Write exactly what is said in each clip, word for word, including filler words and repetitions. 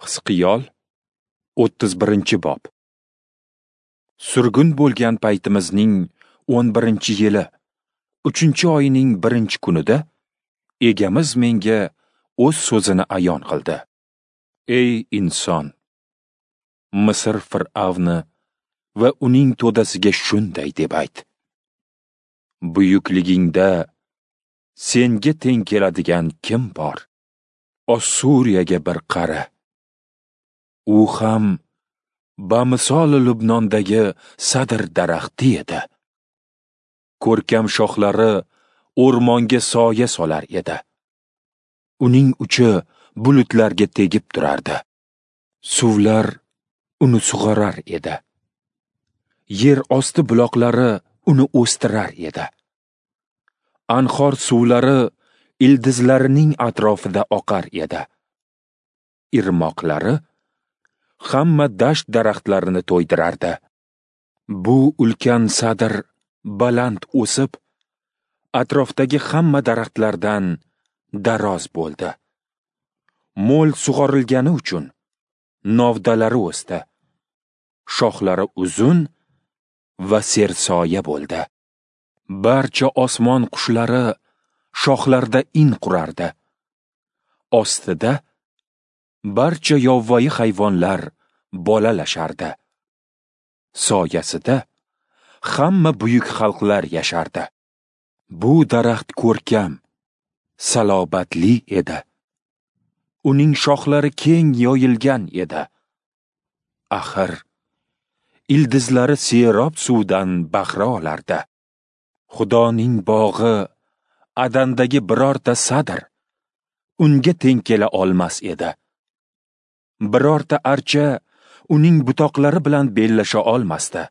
Hizqiyol o'ttiz birinchi bob. Surgun bo'lgan paytimizning o'n birinchi yili, uchinchi oyning birinchi kunida Egamiz menga o'z so'zini ayon qildi. Ey inson, Misr fir'avni va uning to'dasiga shunday deb ayt: Buyukligingda senga teng keladigan kim bor? Ossuriyaga bir qara. U ham bamisoli Lubnondagi sadr daraxti edi. Ko'rkam shoxlari o'rmonga soya solar edi. Uning uchi bulutlarga tegib turardi. Suvlar uni sug'orar edi. Yer osti buloqlari uni o'stirar edi. Anhor suvlari ildizlarining atrofida oqar edi. Irmoqlari hamma dasht daraxtlarini to'ydirardi. Bu ulkan sadr baland o'sib, atrofdagi hamma daraxtlardan daroz bo'ldi. Mo'l sug'orilgani uchun novdalari o'sdi. Shoxlari uzun va sersoya bo'ldi. Barcha osmon qushlari shoxlarda in qurardi. Ostida barcha yovvoyi hayvonlar bolalashardi. Soyasida hamma buyuk xalqlar yashardi. Bu daraxt ko'rkam, salobatli edi. Uning shoxlari keng yoyilgan edi. Axir, ildizlari serob suvdan bahra olardi. Xudoning bog'i Adandagi birorta sadr unga teng kela olmas edi. Birorta archa uning butoqlari bilan bellasha olmasdi.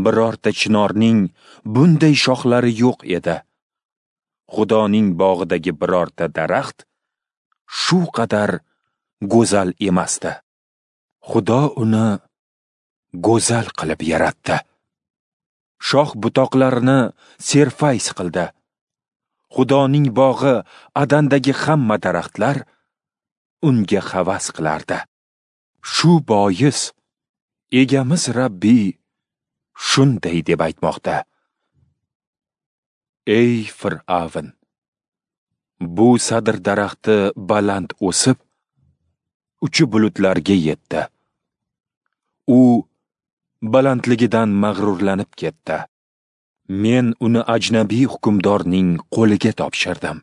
Birorta chinorning bunday shoxlari yo'q edi. Xudoning bog'idagi birorta daraxt shu qadar go'zal emasdi. Xudo uni go'zal qilib yaratdi. Shox butoqlarini serfayz qildi. Xudoning bog'i Adandagi hamma daraxtlar unga havas qilardi. Shu bois Egamiz Rabbiy shunday deb aytmoqda: Ey Fir'avn, bu sadr daraxti baland o'sib, uchi bulutlarga yetdi. U balandligidan mag'rurlanib ketdi. Men uni ajnabiy hukmdorning qo'liga topshirdim.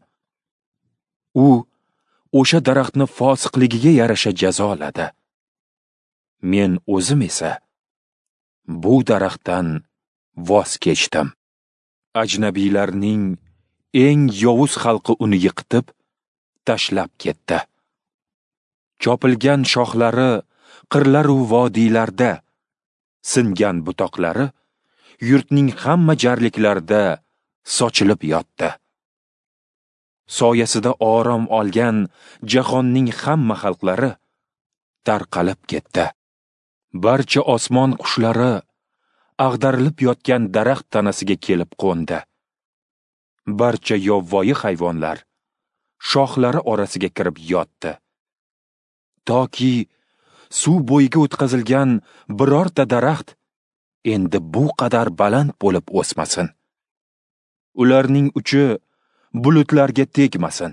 U o'sha daraxtni fosiqligiga yarasha jazoladi. Men o'zim esa bu daraxtdan voz kechdim. Ajnabiylarning eng yovuz xalqi uni yiqitib, tashlab ketdi. Chopilgan shoxlari qirlar-u vodiylarda, singan butoqlari yurtning hamma jarliklarida sochilib yotdi. Soyasida orom olgan jahonning hamma xalqlari tarqalib ketdi. Barcha osmon qushlari ag'darilib yotgan daraxt tanasiga kelib qo'ndi. Barcha yovvoyi hayvonlar shoxlari orasiga kirib yotdi. Toki suv bo'yiga o'tkazilgan birorta daraxt endi bu qadar baland bo'lib o'smasin. Ularning uchi bulutlarga tegmasin.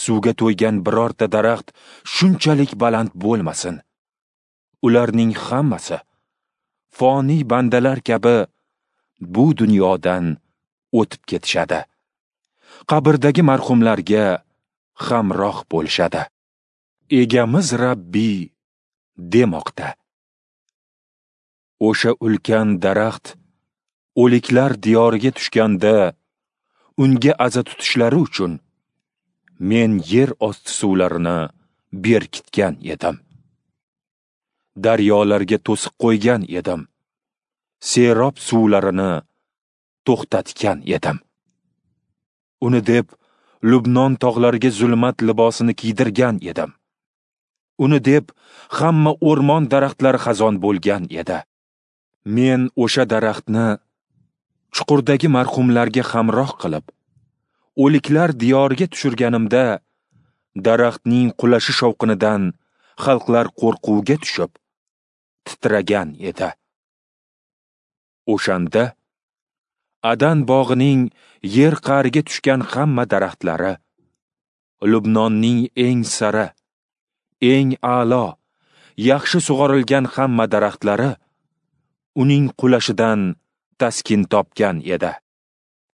Suvga to'ygan birorta daraxt shunchalik baland bo'lmasin. Ularning hammasi foniy bandalar kabi bu dunyodan o'tib ketishadi. Qabrdagi marhumlarga hamroh bo'lishadi. Egamiz Rabbiy demoqda: O'sha ulkan daraxt o'liklar diyoriga tushganda unga aza tutishlari uchun men yer osti suvlarini berkitgan edim. Daryolarga to'siq qo'ygan edim. Serob suvlarini to'xtatgan edim. Uni deb Lubnon tog'lariga zulmat libosini kiydirgan edim. Uni deb hamma o'rmon daraxtlari xazon bo'lgan edi. Men o'sha daraxtni chuqurdagi marhumlarga hamroh qilib, o'liklar diyoriga tushirganimda Daraxtning qulashi shovqinidan xalqlar qo'rquvga tushib, titragan edi. O'shanda Adan bog'ining yer qa'riga tushgan hamma daraxtlari, Lubnonning eng sara, eng a'lo, yaxshi sug'orilgan hamma daraxtlari uning qulashidan taskin topgan edi.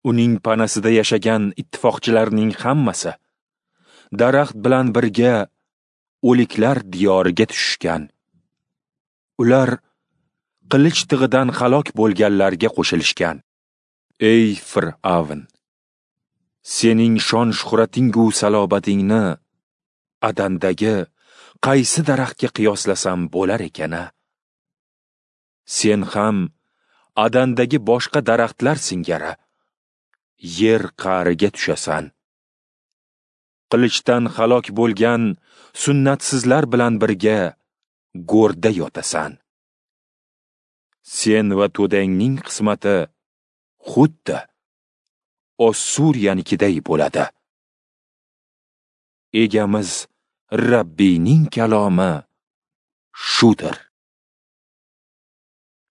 Uning panasida yashagan ittifoqchilarning hammasi daraxt bilan birga o'liklar diyoriga tushishgan. Ular qilich tig'idan halok bo'lganlarga qo'shilishgan. Ey Fir'avn, sening shon-shuhratingu salobatingni Adandagi qaysi daraxtga qiyoslasam bo'lar ekan-a? Sen ham Adandagi boshqa daraxtlar singari yer qa'riga tushasan. Qilichdan halok bo'lgan sunnatsizlar bilan birga go'rda yotasan. Sen va to'dangning qismati xuddi Ossuriyanikiday bo'ladi. Egamiz Rabbiyning kalomi shudir.